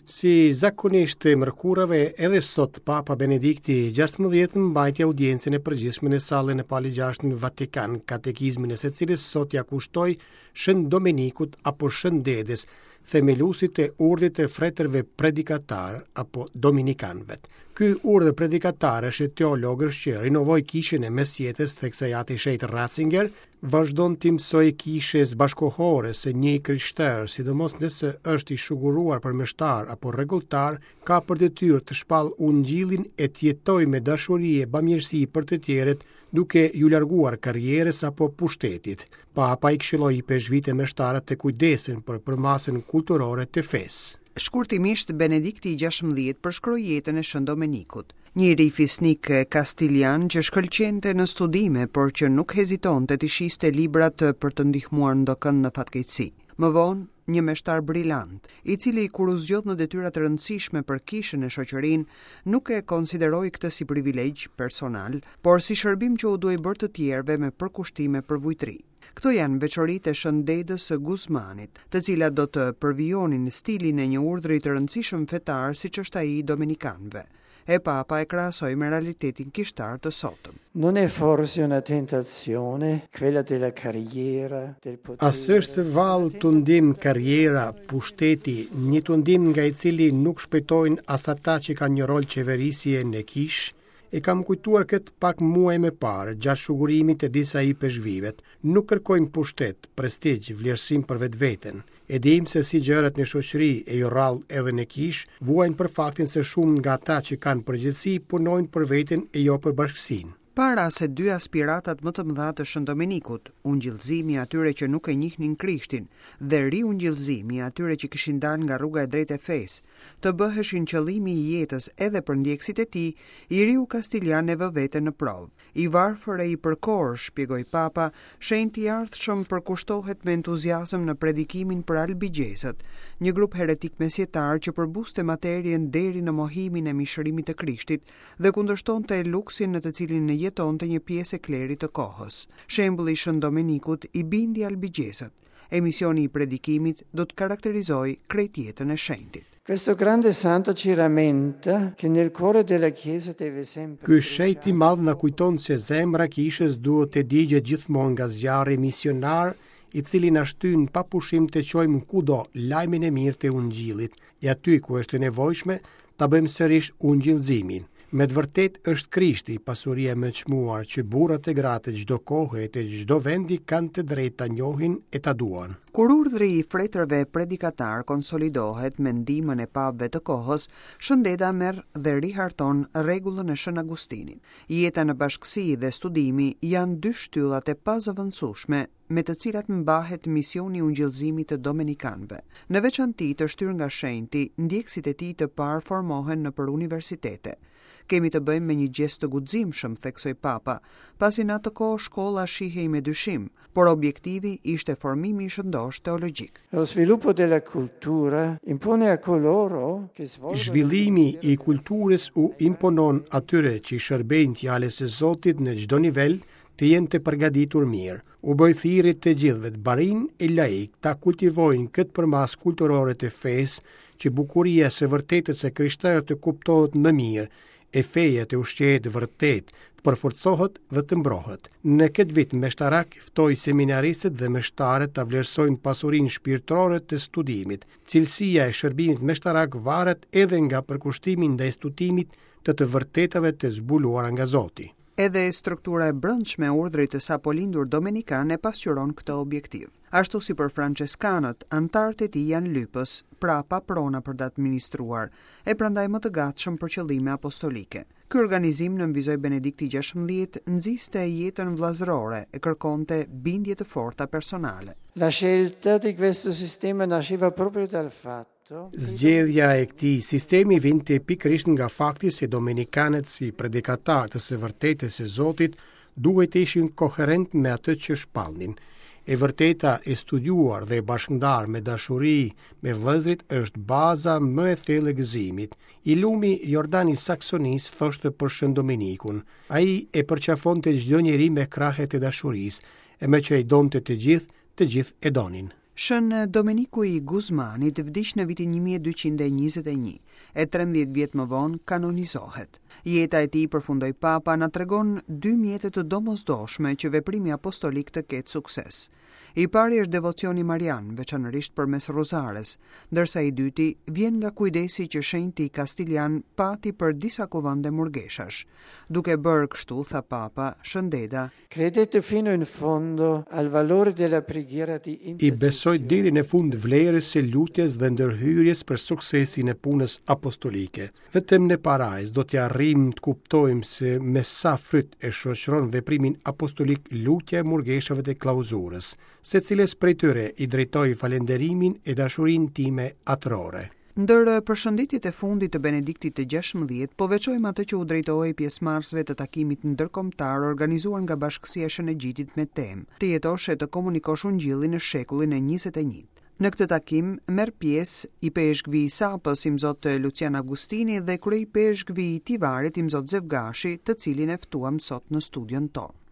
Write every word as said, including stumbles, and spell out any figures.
Si zakonisht të mërkurave, edhe sot Papa Benedikti gjashtëmbëdhjetë mbajti audiencën e përgjithshme në sallën e Palit gjashtë në Vatikan, katekizmin e së cilës sot ja kushtoi Shën Domenikut apo Shën Dedës, themeluesit të urdhrit të fretërve predikatar apo dominikanëve. Ky urdhër predikatarësh e teologësh që rinovoi kishën e mesjetës, theksoi ati Shenjt Ratzinger, vazhdon të mësojë kishës bashkohore se një i krishterë, sidomos nëse është i shuguruar për meshtar apo rregulltar, ka për detyrë të shpall ungjillin e të jetojë me dashuri e bamirësi për të tjerët, duke ju larguar karrierës apo pushtetit. Papa i këshilloi ipeshkvit e meshtarët të kujdesen për përmasën kulturore të fesë. Shkurtimisht, Benedikti i gjashtëmbëdhjetë përshkroi jetën e Shën Domenikut, një i ri fisnik kastilian që shkëlqente në studime, por që nuk hezitonte të shiste librat për të ndihmuar ndokënd në fatkeqësi. Më vonë, një meshtar brilant, i cili kur u zgjodh në detyra të rëndësishme për kishën e shoqërinë, nuk e konsideroi këtë si privilegj personal, por si shërbim që u duhej bërë të tjerëve me përkushtime për vujtri. Këto janë veçoritë e Shën Dedës së Guzmanit, të cilat do të përvijonin stilin e një urdhri të rëndësishëm fetar siç është ai i dominikanëve. E Papa e krahasoi me realitetin kishtar të sotëm. Non è forse una tentazione quella della carriera, del potere? A s'është vallë tundim karriera, pushteti, një tundim nga i cili nuk shpëtojnë as ata që kanë një rol qeverisje në kishë? E kam kujtuar këtë pak muaj më parë, gjatë shugurimit të disa ipeshkvivet. Nuk kërkojmë pushtet, prestigj, vlerësim për vetveten. E dim se si gjërat në shoqëri e jo rrallë edhe në kishë, vuajnë për faktin se shumë nga ata që kanë përgjegjësi punojnë për veten e jo për bashkësinë. Para se dy aspiratat më të mëdha të Shën Domenikut, ungjillëzimi i atyre që nuk e njihnin Krishtin dhe riungjillëzimi i atyre që kishin dalë nga rruga e drejtë e fesë, të bëheshin qëllimi i jetës edhe për ndjekësit e tij, i riu kastilian e vë veten në provë. I varfër e i përkor, shpjegoi Papa, shenjti i ardhshëm përkushtohet me entuziazëm në predikimin për albigjezët, një grup heretik mesjetar që përbuste materien deri në mohimin e mishërimit të Krishtit dhe kundërshtonte luksin në të cilin jetonte një pjesë e klerit të kohës. Shembulli i Shën Domenikut i bindi albigjezët. Emisioni i predikimit do të karakterizojë krejt jetën e shenjtit. Questo grande santo ci rammenta che nel cuore della Chiesa deve sempre Ky shenjt i madh na kujton se zemra e kishës duhet të digjet gjithmonë nga zjarri misionar, i cili na shtyn pa pushim të çojmë kudo lajmin e mirë të ungjillit, e aty ku është e nevojshme ta bëjmë sërish ungjillëzimin. Me të vërtet është Krishti pasuria më e çmuar që burrat e gratë e çdo kohe e të çdo vendi kanë të drejtë ta njohin e ta duan. Kur urdhri i fretërve predikatar konsolidohet me ndihmën e papëve të kohës, Shën Deda merr dhe riharton rregullën e Shën Agustinit. Jeta në bashkësi dhe studimi janë dy shtyllat e pazëvendësueshme me të cilat mbahet misioni i ungjillëzimit të dominikanëve. Në veçanti të shtyrë nga shenjti, ndjekësit e tij të parë formohen nëpër universitete. Kemi të bëjmë me një gjest të guximshëm, theksoi Papa, pasi në atë kohë shkolla shihej me dyshim, por objektivi ishte formimi i shëndosh teologjik. Lo sviluppo della cultura impone a coloro che svolgono Zhvillimi i kulturës u imponon atyre që i shërbejnë fjalës së Zotit në çdo nivel të jenë të përgatitur mirë. U bëj thirrje të gjithëve, të barin e laik, ta kultivojnë këtë përmasë kulturore të fesë, që bukuria e së vërtetës së krishterë të kuptohet më mirë, e feja të ushqehet vërtet, të përforcohet dhe të mbrohet. Në këtë vit meshtarak ftoi seminaristët dhe meshtarët ta vlerësojnë pasurinë shpirtërore të studimit. Cilësia e shërbimit meshtarak varet edhe nga përkushtimi ndaj studimit të të vërtetave të zbuluara nga Zoti. Edhe struktura e brendshme e urdhrit të sapolindur dominikan e pasqyron këtë objektiv. Ashtu si për franceskanët, anëtarët e tij janë lypës, pra pa prona për të administruar, e prandaj më të gatshëm për qëllime apostolike. Ky organizim nënvizoi Benedikti gjashtëmbëdhjetë nxiste jetën vëllazërore e kërkonte bindje të forta personale. La scelta di questo sistema nasceva proprio dal fatto Zgjedhja e këtij sistemi vinte pikërisht nga fakti se dominikanët si predikatarë të së vërtetës së Zotit duhej të ishin koherent me atë që shpallnin. E vërteta e studiuar dhe e bashkëndar me dashuri me vëllezërit është baza më e thellë e gëzimit. I lumi Jordani Saksonis thoshte për Shën Domenikun, ai e përqafonte çdo njeri me krahët e dashurisë, e me që i donte të gjithë, të gjithë e donin. Shën Domeniku i Guzmanit vdiq në vitin një mijë e dyqind e njëzet e një, e trembëdhjetë vjet më vonë kanonizohet. Jeta e tij, përfundoi Papa, na tregon dy mjete të domosdoshme që veprimi apostolik të ketë sukses. I pari është devocioni marian, veçanërisht përmes Rozares, ndërsa i dyti vjen nga kujdesi që shenjti Kastilian pati për disa kuvende murgeshash. Duke bërë kështu, tha Papa, Shën Deda, Credete fino in fondo al valore della preghiera di I besoj deri në fund vlerës së lutjes dhe ndërhyrjes për suksesin e punës apostolike. Vetëm në parajs do t'ja arrijmë të kuptojmë se me sa fryt e shoqëron veprimin apostolik lutja e murgeshave të klauzurës, se cilës prej tyre i drejtoj falenderimin e dashurinë time atërore. Ndër përshëndetjet e fundit të Benediktit të gjashtëmbëdhjetë, po veçojmë atë që u drejtohej pjesëmarrësve të takimit ndërkombëtar organizuar nga Bashkësia e Shën Egjidit me temë Të jetosh e të komunikosh ungjillin në shekullin e njëzet e një. Në këtë takim merr pjesë i peshkvi i Sapës, Imzot Lucian Agustini dhe kryeipeshkvi i Tivarit, Imzot Zevgashi, të cilin e ftuam sot në studion tonë.